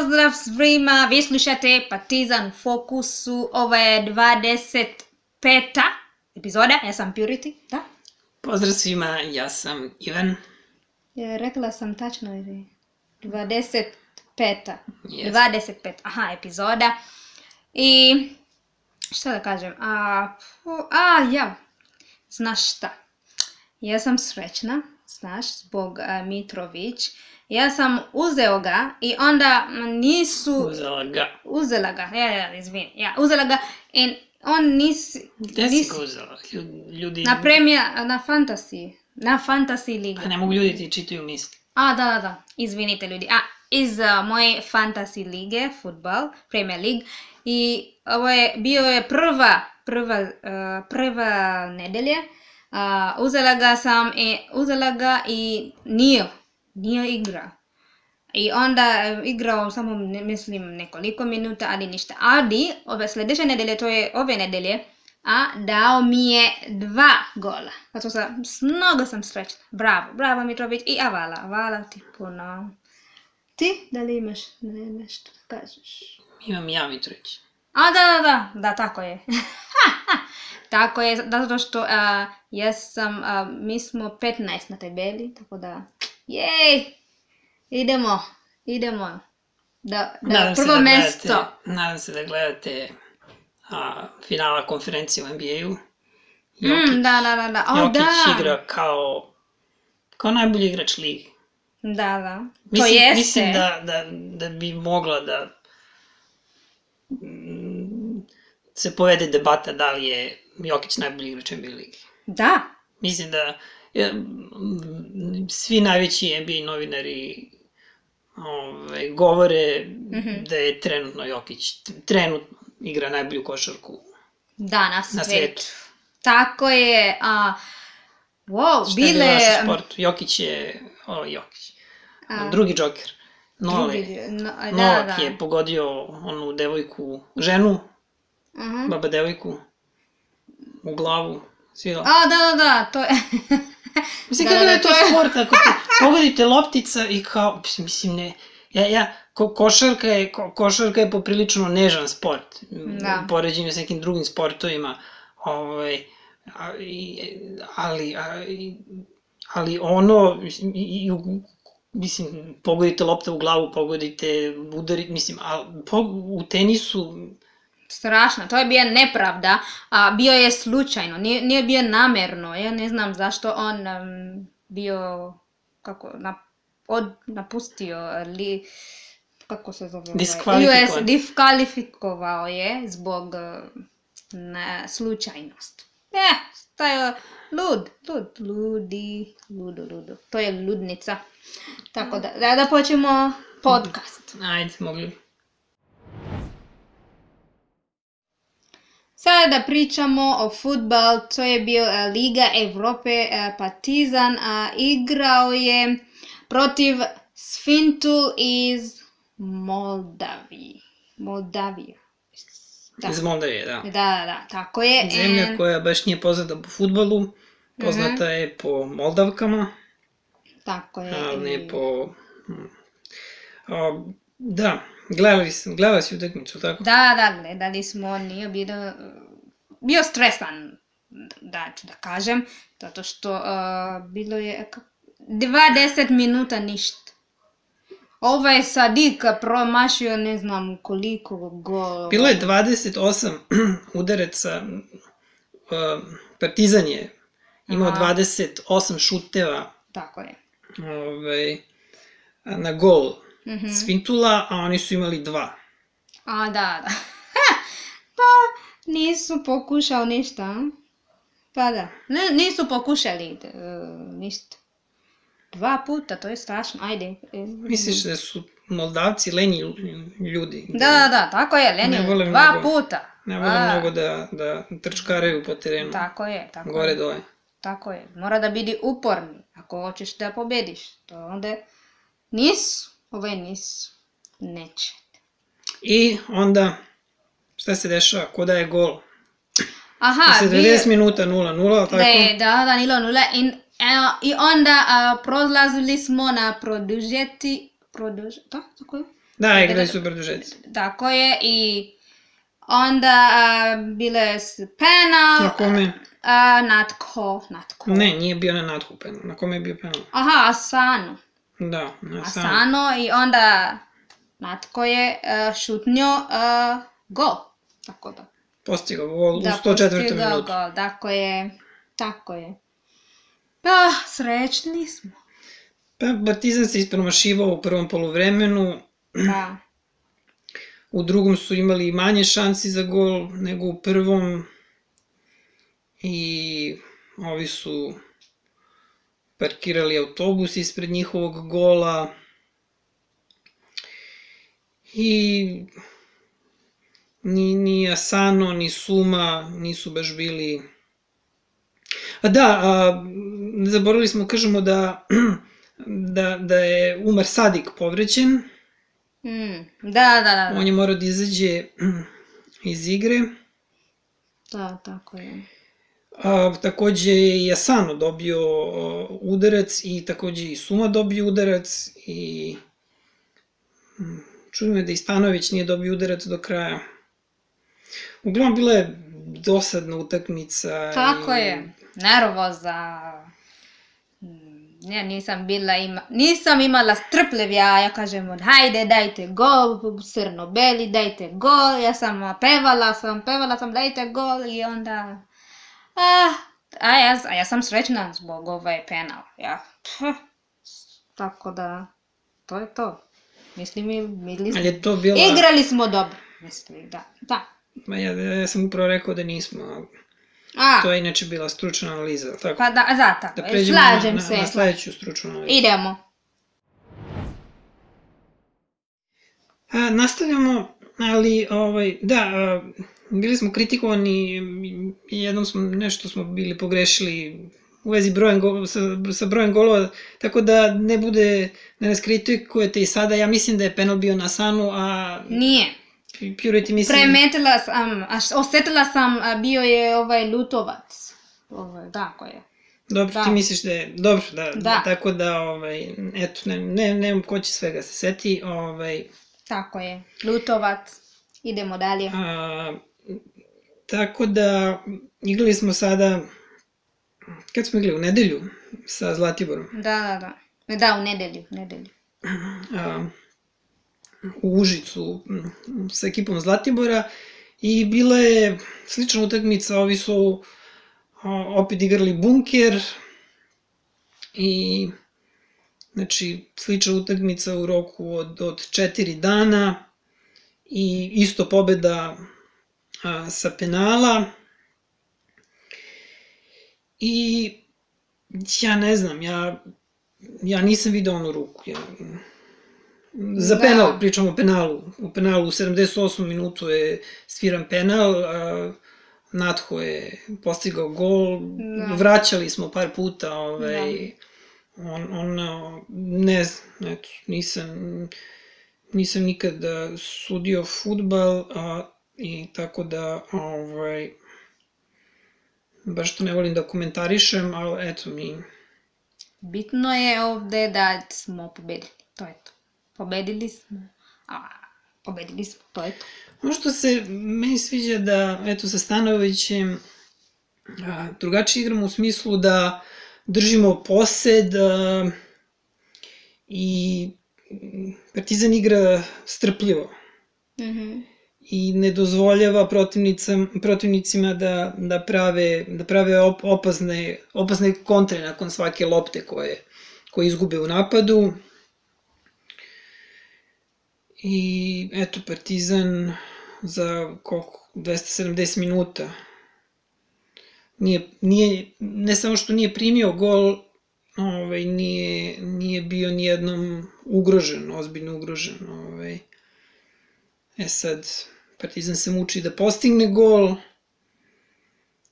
Pozdrav svima, vi slušate Partizan u fokusu, ovo je 25. epizoda, ja sam Purity, da? Pozdrav svima, ja sam Ivan. Rekla sam tačno ili 25. Yes. 25, epizoda. I šta da kažem, znaš šta, ja sam srećna, znaš, zbog Mitrović. Ja sam uzeo ga i onda nisu... Uzela ga, izvini. Uzela ga i on nisi... Gde si ga uzela? Ljudi... Na Fantasy Liga. Pa ne mogu ljudi ti čitaju misli. Da, izvinite ljudi. Iz moje Fantasy Lige, futbal, Premier League. I ovo je bio prva nedelje. Uzela ga i nije igrao. I onda igrao samo, mislim, nekoliko minuta, ali ništa. Ali, sljedeće nedelje, to je ove nedelje, dao mi je 2 gola. Zato mnogo sam srećna. Bravo Mitrović i hvala ti puno. Ti, da li imaš nešto da kažeš? Imam ja Mitrović. Da, tako je. Tako je, zato što mi smo 15 na tabeli, tako da, idemo, da prvo mjesto. Nadam se da gledate finala konferencije u NBA-u. Da. Jokić igra kao najbolji igrač ligi. Da, to jeste. Mislim da bi mogla da se povede debata da li je Jokić najbolji igrač NBA ligi. Da. Mislim da svi najveći NBA novinari govore da je trenutno Jokić igra najbolju košarku na svijetu. Tako je. Šta je bilo naš sport? Jokić je... drugi džoker. Novak je pogodio onu devojku, ženu, baba devojku, u glavu, svila. Da, to je... Mislim, kako da je to sport, ako pogodite loptica i kao, mislim, ne, košarka je poprilično nežan sport, u poređenju s nekim drugim sportovima, ali ono, mislim, pogodite lopta u glavu, pogodite udarite, mislim, u tenisu... Strašno, to je bio nepravda, bio je slučajno, nije bio namjerno, ja ne znam zašto on bio, napustio, kako se zove? Diskvalifikovao je zbog slučajnosti. To je ludo, to je ludnica. Tako da počnemo podcast. Ajde, mogli. Sada pričamo o futbal, to je bio Liga Evrope, Partizan, igrao je protiv Svintul iz Moldavije. Iz Moldavije, da. Da, tako je. Zemlja koja baš nije poznata po fudbalu, poznata je po Moldavkama. Tako je. Ali ne po... Da, gledali si utakmicu, tako? Da, gledali smo, nije bio stresan, da ću da kažem, zato što bilo je 20 minuta ništa. Ovaj Sadik promašio ne znam koliko gol. Bilo je 28 udaraca, Partizan je imao 28 šuteva. Tako je. Na gol Svintula, a oni su imali 2. Da. Pa nisu pokušali ništa. Pa da, nisu pokušali ništa. 2 puta, to je strašno, ajde. Misliš da su Moldavci lenji ljudi? Da, tako je, lenji, 2 puta. Ne vole mnogo da trčkaraju po terenu. Tako je. Gore dole. Tako je, mora da biti uporni, ako hoćeš da pobediš. To onda nisu, neće. I onda, šta se dešava, ko daje gol? Posle 90 minuta 0-0, tako? Da, 0-0 i onda prolazili smo na tako je? Da, igrali su produžeci. Tako je, i onda bile su penal. Na kome? Natko. Ne, nije bio na Nathu penal. Na kome je bio penal? Aha, Asano. Da, na Asano, i onda Natko je šutnio gol. Tako da. Postigao gol u 104. minutu. Da, postigao gol, tako je. Pa, srećni smo. Pa, Partizan se ispromašivao u prvom poluvremenu. Da. U drugom su imali manje šansi za gol nego u prvom. I ovi su parkirali autobus ispred njihovog gola. I ni Asano, ni Suma nisu baš bili... Zaboravili smo, kažemo da je Umar Sadik povređen. Da. On je morao da izađe iz igre. Da, tako je. Takođe je i Asano dobio udarac i takođe i Suma dobio udarac i čudim me da i Stanović nije dobio udarac do kraja. Uglavnom, bila je dosadna utakmica. Tako je, nervoza. Ja nisam imala strpljenja, ja kažem, hajde, dajte gol, crno-beli, dajte gol, ja sam pevala sam, dajte gol, i onda... ja sam srećna zbog ovaj penal, ja. Tako da, to je to. Mislim, igrali smo dobro, mislim, da. Ja sam upravo rekao da nismo, to je inače bila stručna analiza, tako? Pa da, tako, slažem se. Na sledeću stručnu analizu. Idemo. Nastavljamo, ali, bili smo kritikovani, jednom nešto smo bili pogrešili u vezi sa brojem golova, tako da ne nas kritikujete i sada. Ja mislim da je penal bio na Asanu, a... Nije. Purity mislim... Premetila sam, osetila sam, bio je Lutovac. Tako je. Dobro, ti misliš da je... Dobro, da. Tako da, eto, nemam ko će svega se seti. Tako je, Lutovac. Idemo dalje. Tako da, igrali smo sada... Kad smo igrali? U nedelju? Sa Zlatiborom? Da, u nedelju. U Užicu sa ekipom Zlatibora i bila je slična utakmica, ovi su opet igrali bunker i znači slična utakmica u roku od 4 dana i isto pobeda sa penala i ja ne znam, ja nisam video onu ruku, za penal, pričamo o penalu. U penalu u 78. minutu je sviran penal, Natho je postigao gol, vraćali smo par puta, ne znam, eto, nisam nikad sudio fudbal, i tako da, baš to ne volim da komentarišem, ali eto mi... Bitno je ovde da smo pobedili, to je to. Pobedili smo, to je to. Ono što se meni sviđa da, eto, sa Stanovićem drugačije igramo u smislu da držimo posed i Partizan igra strpljivo i ne dozvoljava protivnicima da prave opasne kontre nakon svake lopte koje izgube u napadu. I eto, Partizan za koliko, 270 minuta ne samo što nije primio gol, nije bio nijednom ugrožen, ozbiljno ugrožen. Sad, Partizan se muči da postigne gol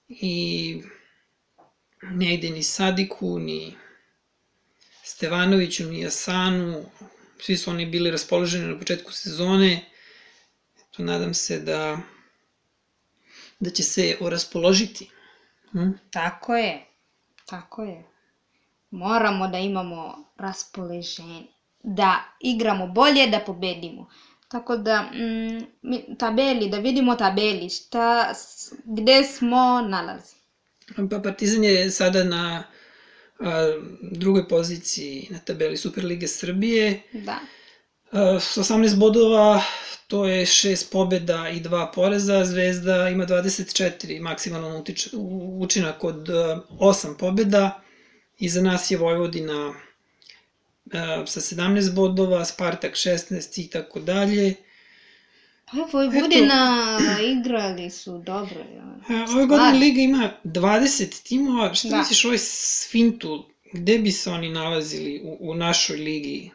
i ne ide ni Sadiku, ni Stevanoviću, ni Asanu. Svi su oni bili raspoloženi na početku sezone. Eto, nadam se da će se oraspoložiti. Tako je. Moramo da imamo raspoloženje. da igramo bolje, da pobedimo. Tako da, da vidimo tabeli, gde smo nalazi. Pa Partizan je sada na drugoj poziciji na tabeli Superlige Srbije. Da. S 18 bodova, to je 6 pobjeda i 2 poraza. Zvezda ima 24 maksimalan učinak od 8 pobjeda. Iza nas je Vojvodina sa 17 bodova, Spartak 16 i tako dalje. Pa Vojvodina igrali su dobro. Ove godine Liga ima 20 timova. Šta misliš ovaj sfintu? Gde bi se oni nalazili u našoj ligi?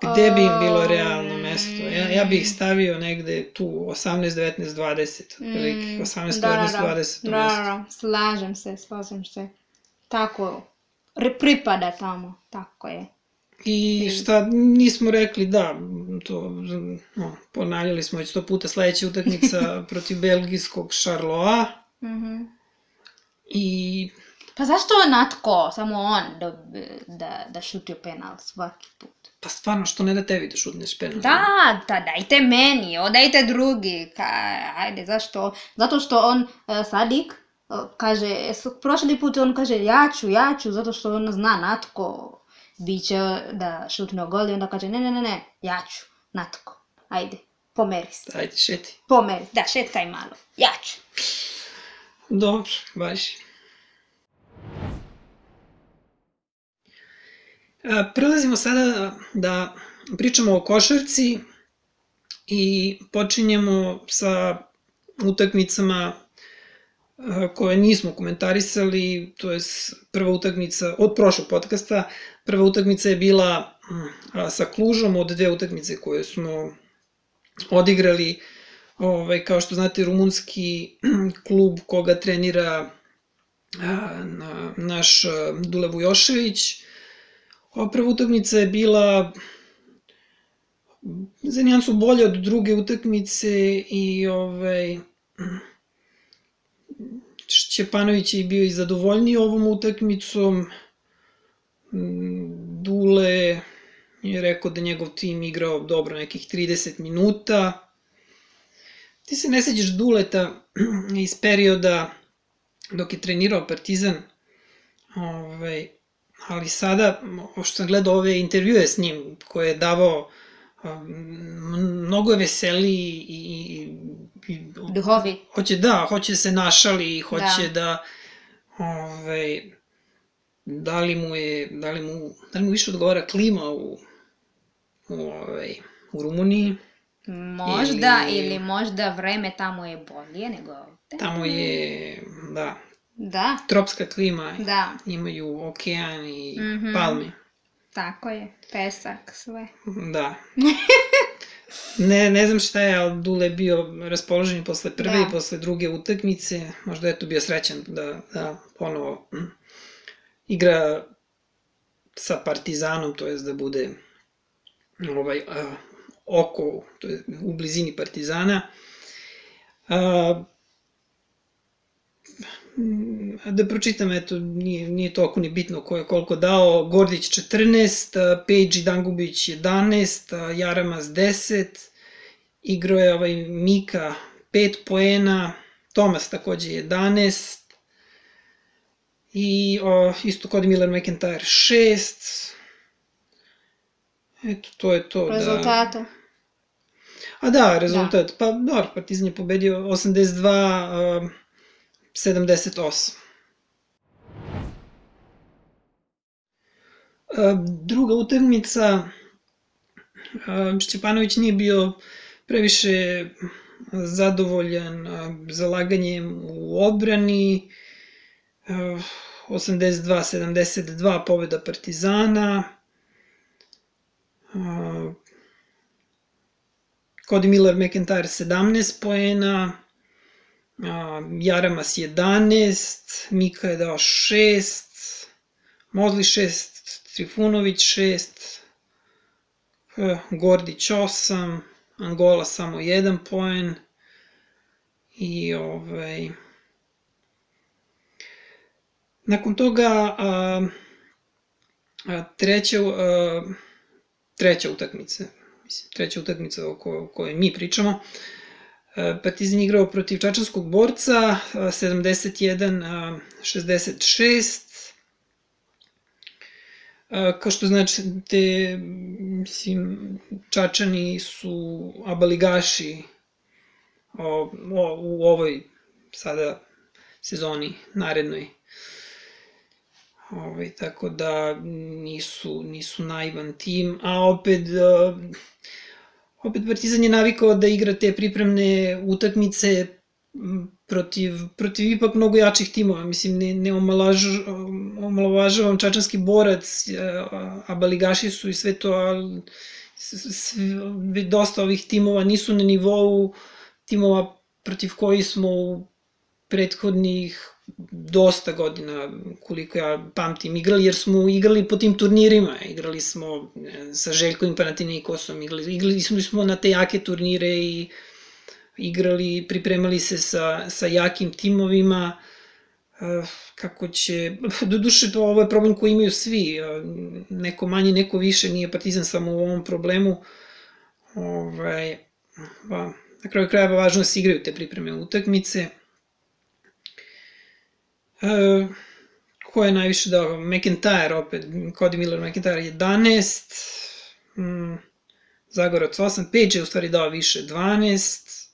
Gde bi im bilo realno mesto? Ja bih ih stavio negde tu 18, 19, 20. 18, 19, 20. Da, slažem se. Tako, pripada tamo, tako je. I šta nismo rekli, da, to ponavljali smo već 100 puta, sledeća utakmica protiv belgijskog Charleroi. I... Pa zašto je Natko, samo on, da šutio penal svaki put? Pa stvarno, što ne da tebi da šutneš penal? Da, dajte meni, odajte drugi. Ajde, zašto? Zato što on, Sadik, kaže, prošli put on kaže ja ću, zato što on zna Natko biće da šutne gol i onda kaže ne, ja ću, Natko, ajde, pomeri se. Ajde, šeti. Pomeri, da, šetkaj malo, ja ću. Dobro, baš. Prelazimo sada da pričamo o košarci i počinjemo sa utakmicama koje nismo komentarisali, to je prva utakmica od prošlog podcasta. Prva utakmica je bila sa Klužom od 2 utakmice koje smo odigrali. Kao što znate, rumunski klub koga trenira naš Dule Vujošević. Ova prva utakmica je bila za nijansu bolje od druge utakmice i Šćepanović je bio i zadovoljniji ovom utakmicom. Dule je rekao da njegov tim igrao dobro nekih 30 minuta. Ti se ne sećaš Duleta iz perioda dok je trenirao Partizan, ali sada, što sam gledao ove intervjue s njim, koje je davao, mnogo je veseliji i duhovi. Hoće se našali, hoće da da li mu više odgovara klima u Rumuniji. Možda, ili možda vreme tamo je bolje nego ovde. Tamo je, da, tropska klima, imaju okean i palme. Tako je, pesak, sve. Da. Ne znam šta je, ali Dule je bio raspoložen i posle prve i posle druge utakmice. Možda je tu bio srećan da ponovo igra sa Partizanom, to je da bude oko, to je u blizini Partizana. Da pročitam, eto, nije toliko ni bitno ko je koliko dao. Gordić 14, Pejđi Dangubić 11, Jaramas 10, igrao je Mika 5 poena, Tomas takođe 11, i isto kod Miller McIntyre 6. Eto, to je to. Rezultata. Rezultat. Pa, dobro, Partizan je pobedio 82-78. Druga utakmica, Šćepanović nije bio previše zadovoljan zalaganjem u odbrani. 82-72 pobeda Partizana. Cody Miller McIntyre 17 poena, Jaramas 11, Mika je dao 6, Mosley 6, Trifunović 6, Gordić 8, Angola samo 1 poen i treća treća utakmica o kojoj mi pričamo. Partizan igrao protiv čačanskog borca, 71-66. Kao što znači, Čačani su abaligaši u ovoj sada sezoni narednoj. Tako da nisu naivan tim, a opet Partizan je navikao da igra te pripremne utakmice protiv ipak mnogo jačih timova. Mislim, ne omalovažavam čačanski borac, abaligaši su i sve to, ali dosta ovih timova nisu na nivou timova protiv koji smo u prethodnih dosta godina, koliko ja pamtim, igrali, jer smo igrali po tim turnirima. Igrali smo sa Željkovim Panathinaikosom, igrali smo na te jake turnire i pripremali se sa jakim timovima. Kako će, doduše ovo je problem koji imaju svi, neko manje, neko više, nije Partizan samo u ovom problemu. Na kraju krajeva važno da se igraju te pripreme utakmice. Ko je najviše dao? McIntyre opet, Cody Miller McIntyre 11, Zagorac 8, Page je u stvari dao više 12,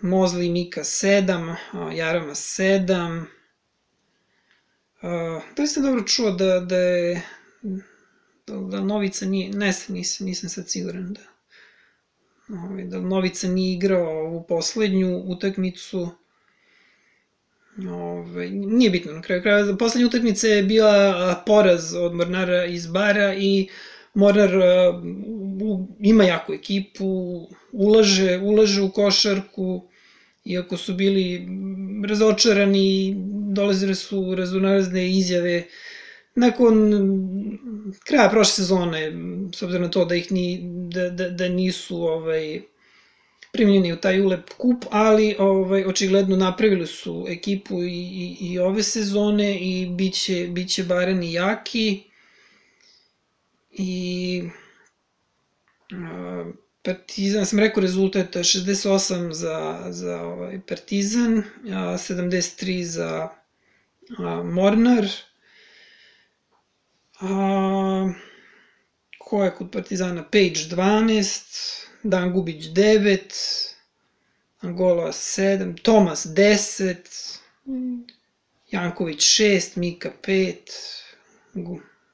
Mosley Mika 7, Jarama 7. Da li sam dobro čuo da Novica nije, nisam sad siguran da Novica nije igrao ovu poslednju utakmicu. Nije bitno, na kraju kraja. Poslednja utakmica je bila poraz od Mornara iz Bara i Mornar ima jaku ekipu, ulaže u košarku, iako su bili razočarani, dolazile su raznorazne izjave. Nakon kraja prošle sezone, s obzirom na to da nisu primljeni u taj ULEP kup, ali očigledno napravili su ekipu i ove sezone i bit će Barani jaki. I Partizan, sam rekao rezultat 68 za Partizan, 73 za Mornar. Ko je kod Partizana? Page 12, Dan Gubić 9, Angola 7, Tomas 10, Janković 6, Mika 5,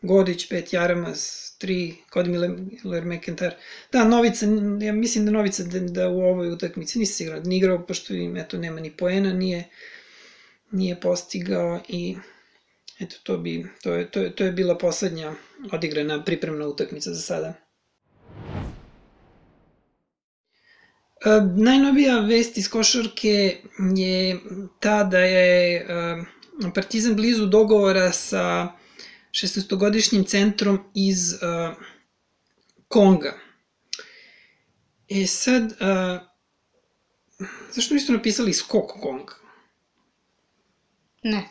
Godić 5, Jaramas 3, Cody Miller McIntyre. Da, Novica, ja mislim da Novica da u ovoj utakmici nisi igrao, pošto im nema ni poena, nije postigao i eto, to je bila poslednja odigrana pripremna utakmica za sada. Najnovija vest iz košarke je ta da je Partizan blizu dogovora sa 16-godišnjim centrom iz Konga. Sad, zašto nisu napisali skok Konga? Ne.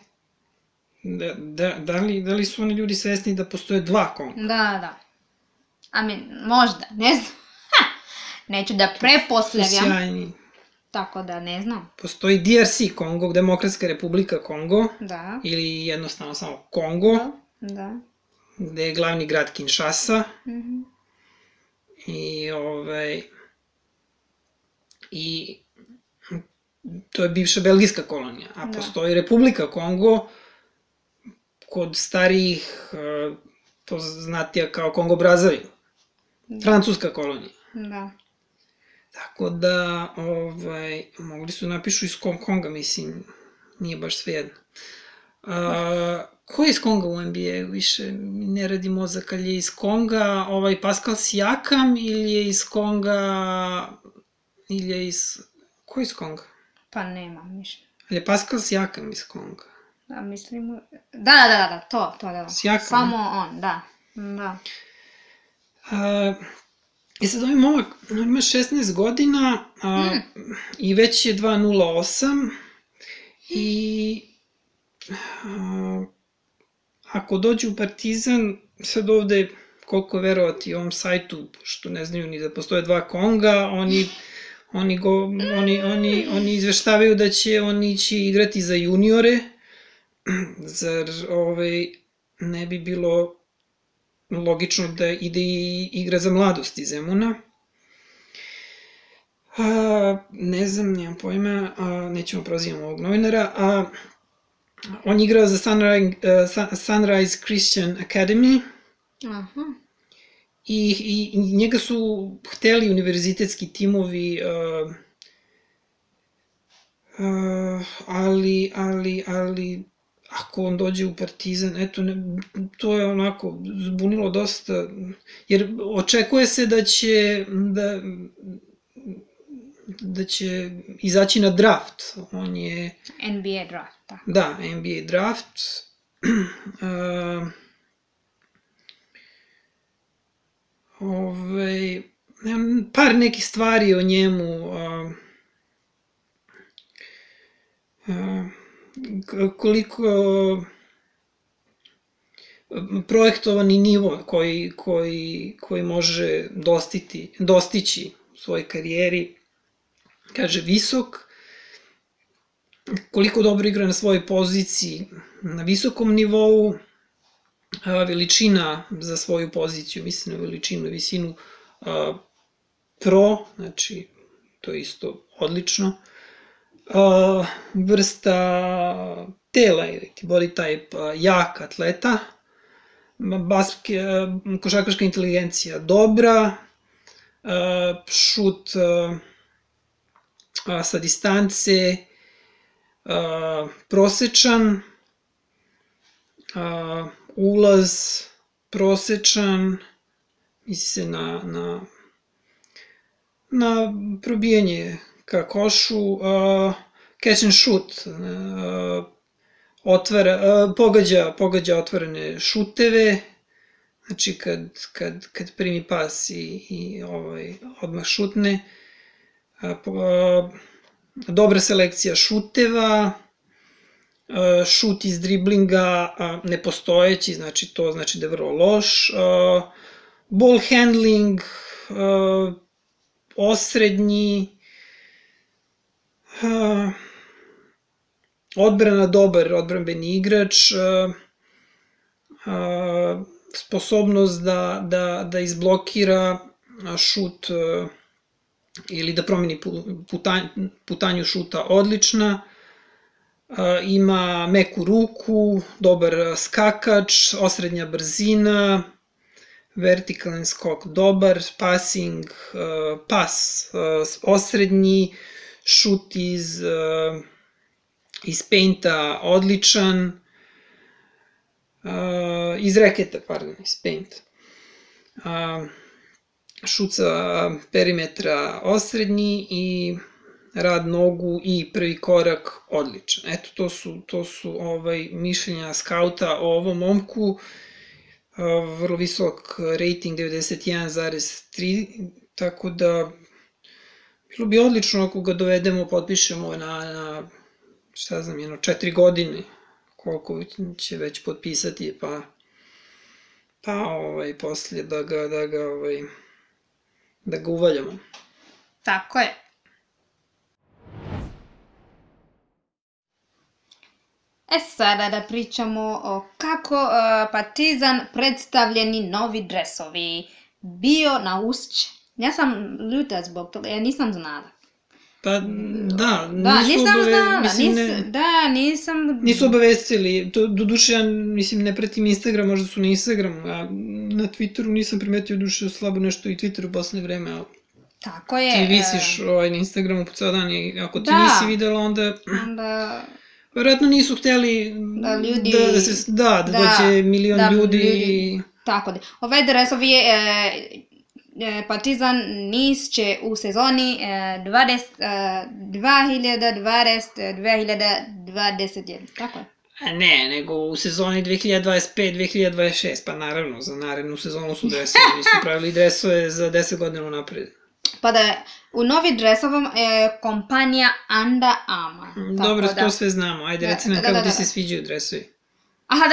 Da li su oni ljudi svesni da postoje dva Konga? Da. Možda, ne znam. Neću da prepostavljam. Sjajni. Tako da ne znam. Postoji DRC Kongo, Demokratska republika Kongo. Da. Ili jednostavno samo Kongo. Da. Gde je glavni grad Kinshasa. I to je bivša belgijska kolonija. A postoji Republika Kongo kod starijih poznatija kao Kongo Brazzaville. Francuska kolonija. Da. Tako da, mogli su napišu iz Konga, mislim, nije baš svejedno. Ko je iz Konga u NBA? Više mi ne radi mozak, ali je iz Konga Pascal Siakam ili je iz Konga, ko je iz Konga? Pa nema mišljenja. Ali je Pascal Siakam iz Konga? Da, mislim, da, to da. Siakam? Samo on, da. I sad ovaj momak ima 16 godina i već je 2.08 i ako dođe u Partizan, sad ovde koliko verovati ovom sajtu, što ne znaju ni da postoje dva Konga, oni izveštavaju da će on ići igrati za juniore, zar ne bi bilo logično da ide i igra za mladost iz Zemuna. Ne znam, nemam pojma, nećemo prozivati ovog novinara. On je igrao za Sunrise Christian Academy. Aha. I njega su hteli univerzitetski timovi, ali ako on dođe u Partizan, eto, to je onako zbunilo dosta, jer očekuje se da će izaći na draft. On je... NBA draft, da. Da, NBA draft. Par nekih stvari o njemu, koliko projektovani nivo koji može dostići u svojoj karijeri, kaže visok, koliko dobro igra na svojoj poziciji na visokom nivou, veličina za svoju poziciju, mislim na veličinu i visinu pro, znači to je isto odlično. Vrsta tela ili body type jak atleta, košarkaška inteligencija dobra, šut sa distance prosečan, ulaz prosečan, misli se na probijanje ka košu, catch and shoot, pogađa otvorene šuteve, znači kad primi pas i odmah šutne, dobra selekcija šuteva, šut iz driblinga nepostojeći, znači to znači da je vrlo loš, ball handling osrednji, odbrana dobar, odbranbeni igrač, sposobnost da izblokira šut ili da promeni putanju šuta odlična, ima meku ruku, dobar skakač, osrednja brzina, vertikalni skok dobar, passing, pas osrednji, šut iz painta odličan, iz reketa, pardon, iz painta. Šut sa perimetra osrednji i rad nogu i prvi korak odličan. Eto, to su mišljenja skauta o ovom momku. Vrlo visok rating, 91,3, tako da bilo bi odlično ako ga dovedemo, potpišemo na šta znam, 4 godine, koliko će već potpisati, pa poslije da ga uvaljamo. Tako je. Sada da pričamo o kako Partizan predstavljeni novi dresovi. Bio na Ušće. Ja sam ljuta zbog toga, ja nisam znala. Pa da, nisu obavestili. Doduše, ja mislim, ne pratim Instagram, možda su na Instagramu, a na Twitteru nisam primetio duše slabo nešto i Twitteru u poslednje vreme, ali tako je. Ti visiš na Instagramu po ceo dan i ako ti nisi videla, onda verovatno nisu hteli da dođe milion ljudi. Tako da. Ovaj dresov je Partizan Niš će u sezoni 2020-2021, tako je? Ne, nego u sezoni 2025-2026, pa naravno, za narednu sezonu su dresovi, nisu pravili dresove za 10 godina napred. Pa da u novi dresovom kompanija Under Armour. Dobro, to sve znamo, ajde reci nam kako ti se sviđaju dresovi. Aha,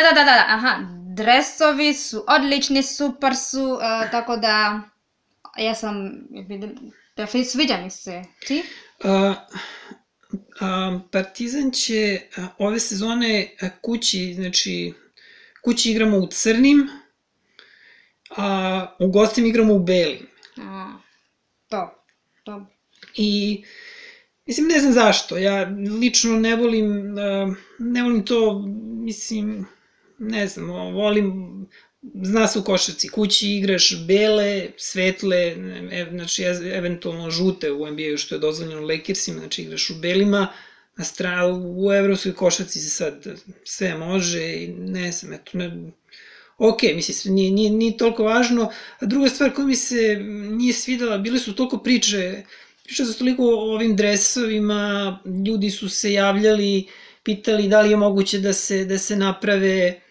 dresovi su odlični, super su, tako da ja sam, sviđa mi se. Ti? Partizan će ove sezone kući igramo u crnim, a u gostima igramo u belim. To. I, mislim, ne znam zašto, ja lično ne volim to, mislim, ne znam, volim, zna se u košarci, kući igraš bele, svetle, znači eventualno žute u NBA-u što je dozvoljeno Lakersima, znači igraš u belima, u evropskoj košarci se sad sve može i ne znam, eto, ok, mislim, nije toliko važno. A druga stvar koja mi se nije svidela, bile su toliko priča su toliko o ovim dresovima, ljudi su se javljali, pitali da li je moguće da se naprave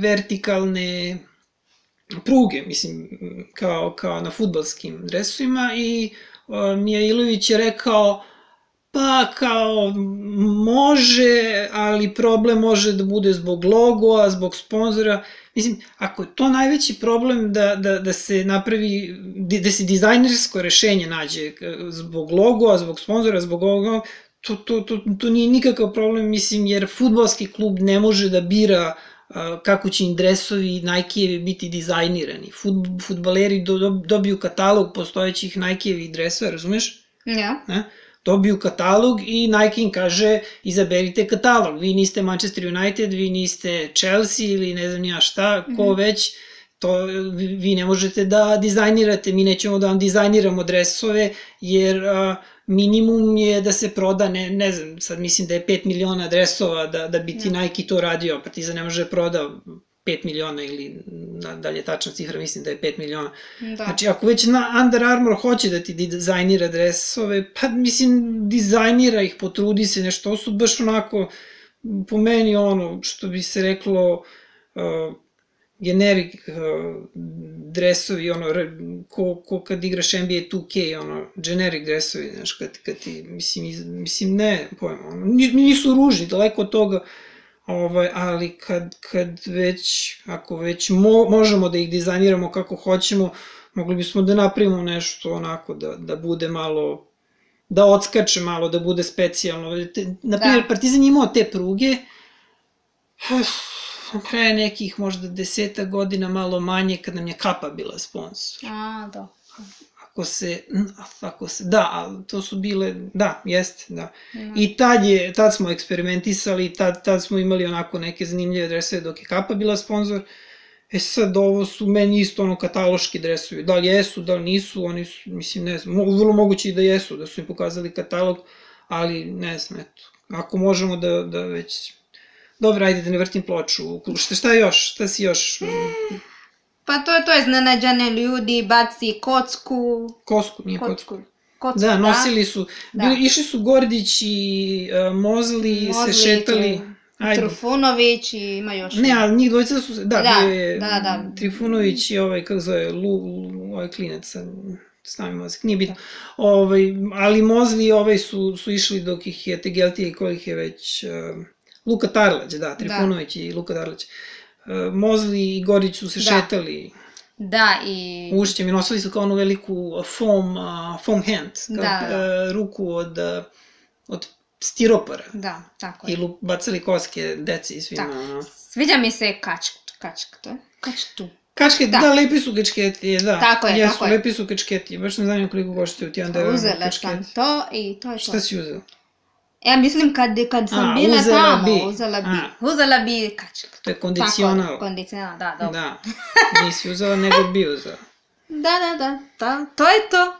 vertikalne pruge, mislim, kao na fudbalskim dresovima i Mijailović je rekao pa kao može, ali problem može da bude zbog logoa, zbog sponzora. Mislim, ako je to najveći problem da se napravi, da se dizajnersko rešenje nađe zbog logoa, zbog sponzora, zbog ovoga, to nije nikakav problem, mislim, jer fudbalski klub ne može da bira kako će im dresovi Nike-evi biti dizajnirani. Fudbaleri dobiju katalog postojećih Nike-evih dresova, razumeš? Ja. Dobiju katalog i Nike im kaže izaberite katalog, vi niste Manchester United, vi niste Chelsea ili ne znam ja šta, ko već, to vi ne možete da dizajnirate, mi nećemo da vam dizajniramo dresove, jer minimum je da se proda, ne znam, sad mislim da je 5 miliona dresova da bi ti Nike to radio, Partizan ne može da proda 5 miliona ili da li je tačna cifra, mislim da je 5 miliona. Znači, ako već Under Armour hoće da ti dizajnira dresove, pa mislim, dizajnira ih, potrudi se nešto, ovo su baš onako, po meni ono, što bi se reklo, generik dresovi, ono, ko kad igraš NBA 2K, ono, generic dresovi, znaš, kad ti, mislim, ne, pojma, ono, nisu ružni, daleko od toga, ali kad već, ako već možemo da ih dizajniramo kako hoćemo, mogli bismo da napravimo nešto onako da bude malo, da odskače malo, da bude specijalno. Naprimjer, Partizan je imao te pruge, pre nekih možda 10 godina, malo manje, kad nam je Kapa bila sponsor. Da. Da, to su bile, da, jeste, da. I tad smo eksperimentisali, tad smo imali onako neke zanimljive dresove dok je Kapa bila sponsor. Sad ovo su meni isto ono kataloški dresovi, da li jesu, da li nisu, oni su, mislim, ne znam, vrlo moguće i da jesu, da su im pokazali katalog, ali ne znam, eto, ako možemo da već, dobro, ajde da ne vrtim ploču, šta još, šta si još... Pa to je iznenađene ljudi, baci kocku. Nije kocku. Da, nosili su, išli su Gordić i Mozli, se šetali. Trifunović i ima još. Ne, ali njih dvojica su, bio je Trifunović i kako zove, ovaj klinac, stavim mozak, nije bitno. Ali Mozli i su išli dok ih je Tegeltija i kojih je već, Luka Tarlać, Trifunović i Luka Tarlać. Mozli i Gorić su se šetali ušćem i nosili su kao onu veliku foam hand, ruku od stiropora. Da, tako je. I bacali koske deci i svima. Sviđa mi se kačka, to je? Kačtu. Kačke, da, lepi su kačketi, da. Tako je. Jesu, lepi su kačketi, baš ne znam koliko koštaju ti $1 kačketi. Uzela sam to i to je to. Šta si uzela? Ja mislim kad sam bila tamo, uzela bi kačku. To je kondicional. Kondicional, da, dobro. Da, nisi uzela nego bi uzela. Da, to je to.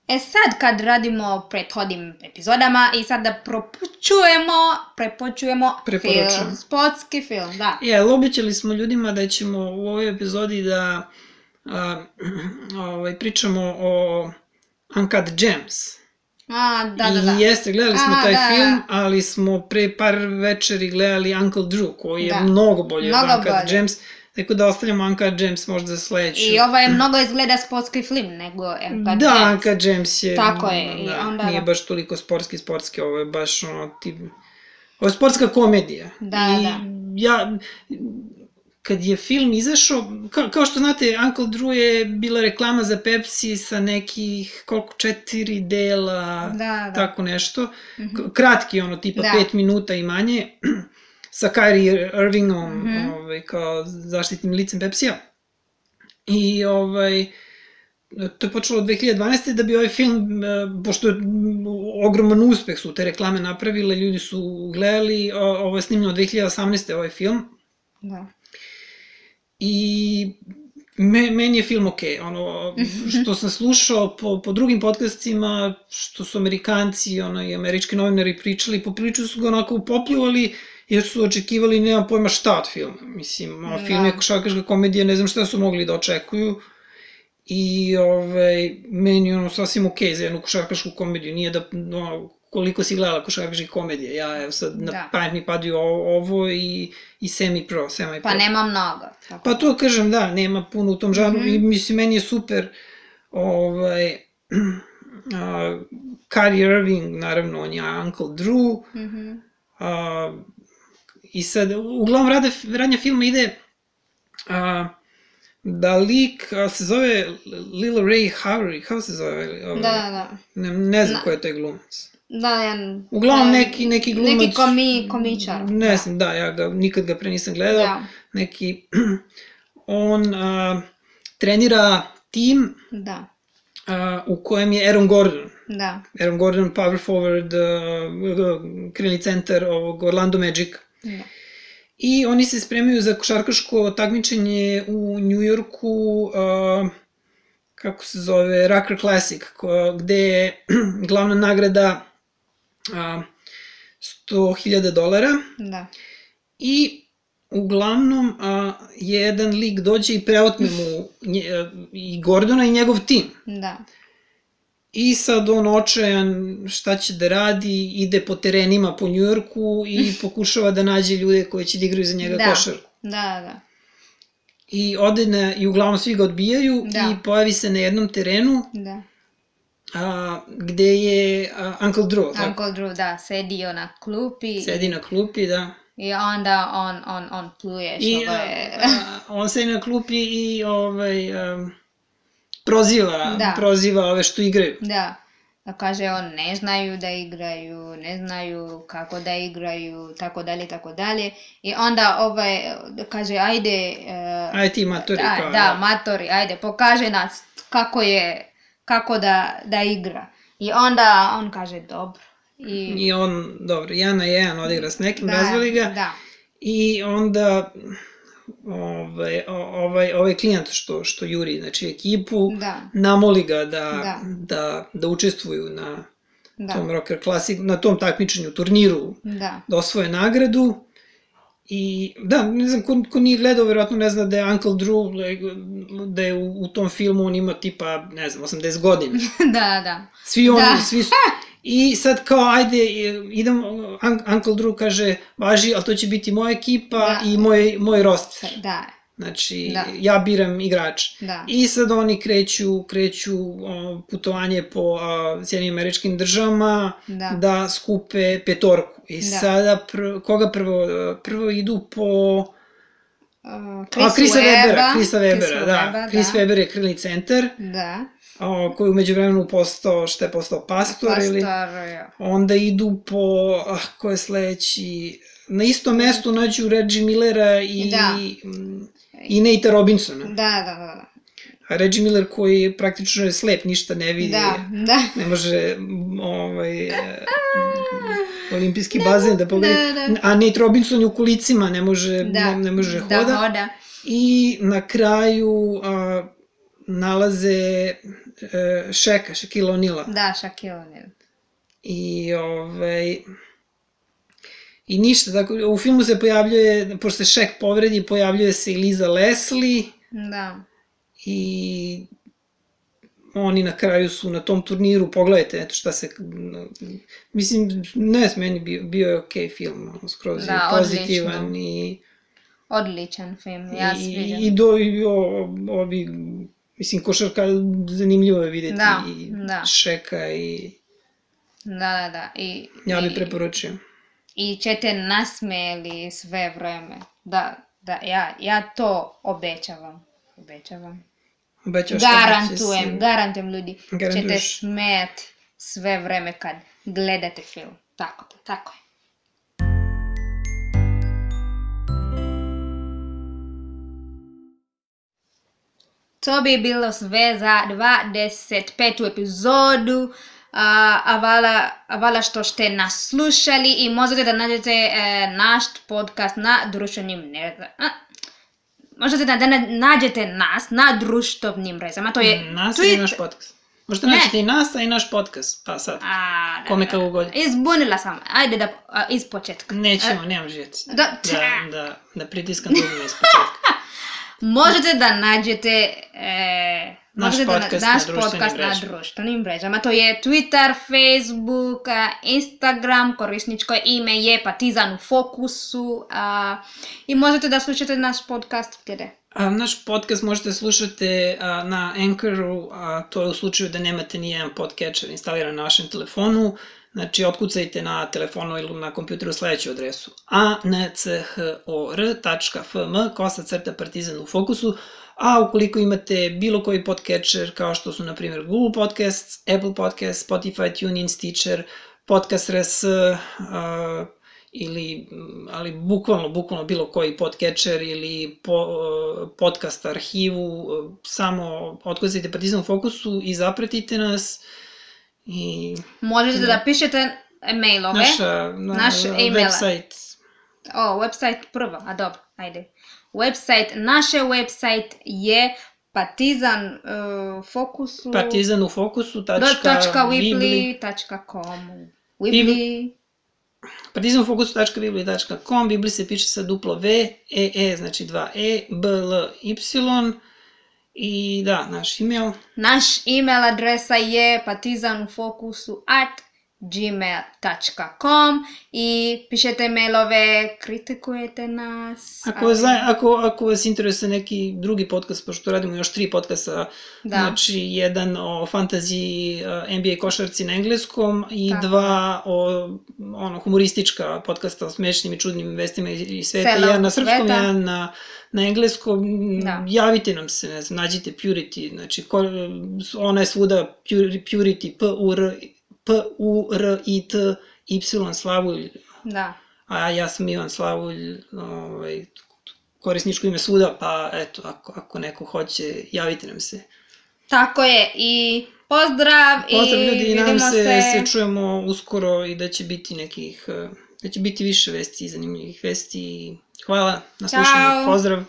Sad kad radimo prethodnim epizodama i sad da prepočujemo film, sportski film, da. Obećali smo ljudima da ćemo u ovoj epizodi da pričamo o Uncut Gems. Da. I jeste, gledali smo taj film, ali smo pre par večeri gledali Uncle Drew, koji je mnogo bolji od Uncut Gems. Tako da ostavljamo Uncut Gems možda za sledeću. I ovo je mnogo izgleda sportski film nego Uncut Gems. Da, Uncut Gems je... Tako je. I Da, onda... nije baš toliko sportski, ovo je baš ovo je sportska komedija. Da, I da. ja, kad je film izašao, kao što znate, Uncle Drew je bila reklama za Pepsi sa nekih, koliko, 4 dela, tako nešto. Kratki, tipa 5 minuta i manje, sa Kyrie Irvingom, kao zaštitnim licem Pepsija. I to je počelo od 2012. da bi ovaj film, pošto je ogroman uspeh su te reklame napravile, ljudi su gledali, ovo je snimljeno od 2018. ovaj film. Da. I meni je film okej, što sam slušao po drugim podcastima, što su Amerikanci i američki novinari pričali, poprilično su ga onako upopljuvali, jer su očekivali, nemam pojma šta od filma. Mislim, film je košarkaška komedija, ne znam šta su mogli da očekuju. I meni je sasvim okej za jednu košarkašku komediju, nije da, koliko si gledala košarkaških komedija, ja evo sad na pamet mi padaju ovo i semi-pro. Pa nema mnogo. Pa to kažem, da, nema puno u tom žanru i mislim, meni je super Kyrie Irving, naravno, on je Uncle Drew, i sad, uglavnom radnja filma ide da lik se zove Lil Ray Howery, kako se zove? Da. Ne znam ko je taj glumac. Da, uglavnom neki glumac... Neki komičar. Ne znam, da, ja nikad ga pre nisam gledao. Neki... On trenira tim u kojem je Aaron Gordon. Da. Aaron Gordon, power forward, krilni centar ovog Orlando Magica. Da. I oni se spremaju za košarkaško takmičenje u Njujorku, kako se zove, Rucker Classic, gde je glavna nagrada $100,000. Da. I uglavnom jedan lik dođe i preotme mu i Gordona i njegov tim. Da. I sad on očajan šta će da radi, ide po terenima po Njujorku i pokušava da nađe ljude koji će da igraju za njega košarku. Da. I ode i uglavnom svi ga odbijaju i pojavi se na jednom terenu gde je Uncle Drew. Uncle Drew, da, sedi na klupi. Sedi na klupi, da. I onda on pluje što je... On sedi na klupi i proziva ove što igraju. Da, kaže on ne znaju da igraju, ne znaju kako da igraju, tako dalje. I onda kaže ajde... Ajde ti matori. Da, matori, ajde, pokaže nas kako da igra. I onda on kaže dobro. I on, dobro, 1-1 odigra s nekim, razvali ga. Da. I onda... ovaj klijent što juri, znači ekipu, namoli ga da učestvuju na tom Rocker Classic, na tom takmičenju, turniru, da osvoje nagradu. I da, ne znam, ko nije gledao, verovatno ne zna da je Uncle Drew, da je u tom filmu on ima tipa, ne znam, 80 godina. Da. Svi oni, svi su... I sad kao, ajde, idem, Uncle Drew kaže, važi, ali to će biti moja ekipa i moj roster. Da. Znači, ja biram igrača. I sad oni kreću putovanje po Sjedinjenim Američkim Državama da skupe petorku. I sada, koga prvo idu po... Chrisa Webera, da. Chris Webber je krilni centar. Da. Koji umeđu vremenu postao, šta je postao, pastor ili... Onda idu po, ko je sledeći, na istom mestu nađu Reggie Millera i Natea Robinsona. Da. A Reggie Miller koji praktično je slep, ništa ne vidi, ne može olimpijski bazen da pogleda, a Nate Robinson je u kolicima, ne može hoda. I na kraju nalaze Shaquille O'Neala. Da, Shaquille O'Neal. I ništa, tako, u filmu se pojavljuje, pošto se Shaq povredi, pojavljuje se i Lisa Leslie. Da. I oni na kraju su na tom turniru, pogledajte, eto šta se, mislim, ne, meni bio je okej film, skroz je pozitivan i Odličan film, ja sviđam. Ovi, mislim, košarka zanimljivo je vidjeti i Šeka i... Da. Ja bih preporučio. I ćete nasmijeli sve vreme. Da, ja to obećavam. Garantujem ljudi. Ćete smijeti sve vreme kad gledate film. Tako je. To bi bilo sve za 25. epizodu. Hvala što ste nas slušali i možete da nađete naš podcast na društvenim mrežama. Možete da nađete nas na društvenim mrežama. To je nas i naš podcast. Možete naći i nas, a i naš podcast. Pa sad, kome kako god. Izbunila sam. Ajde da iz početka. Nemam živjeti. Da pritiskam drugima iz početka. Možete da nađete naš podcast na društvenim mrežama. To je Twitter, Facebook, Instagram, korisničko ime je Partizan u fokusu. I možete da slušate naš podcast gdje? Naš podcast možete slušati na Anchoru, to je u slučaju da nemate nijedan podcatcher instaliran na vašem telefonu. Znači, otkucajte na telefonu ili na kompjuteru sljedeću adresu anchor.fm/Partizan u fokusu, a ukoliko imate bilo koji podcatcher kao što su, na primjer, Google Podcasts, Apple Podcasts, Spotify, TuneIn, Stitcher, Podcast.rs, ali bukvalno bilo koji podcatcher ili podcast arhivu, samo otkucajte Partizan u fokusu i zapratite nas. Možete da pišete mailove. Naš website. Website prvo, dobro, ajde. Naše website je partizanufokusu.weebly.com. Partizanfokusu.weebly.com. Weebly se piše sa duplo V, znači 2 BLY. I da, naš email. Naš email adresa je partizanfokusu@gmail.com i pišete mailove, kritikujete nas. Ako vas interesuje neki drugi podcast, pošto radimo još 3 podcasta, znači jedan o fantaziji NBA košarci na engleskom i 2 o humoristička podcasta o smešnim i čudnim vestima iz sveta, jedan na srpskom, jedan na engleskom. Javite nam se, ne znam, nađite Purity, znači ona je svuda Purity, P-U-R-I-T-Y, Slavulj. Da. A ja sam Ivan Slavulj, korisničko ime svuda, pa eto, ako neko hoće, javite nam se. Tako je, i pozdrav ljudi, i nadam se čujemo uskoro i da će biti više vesti, zanimljivih vesti. Hvala na slušanju, pozdrav!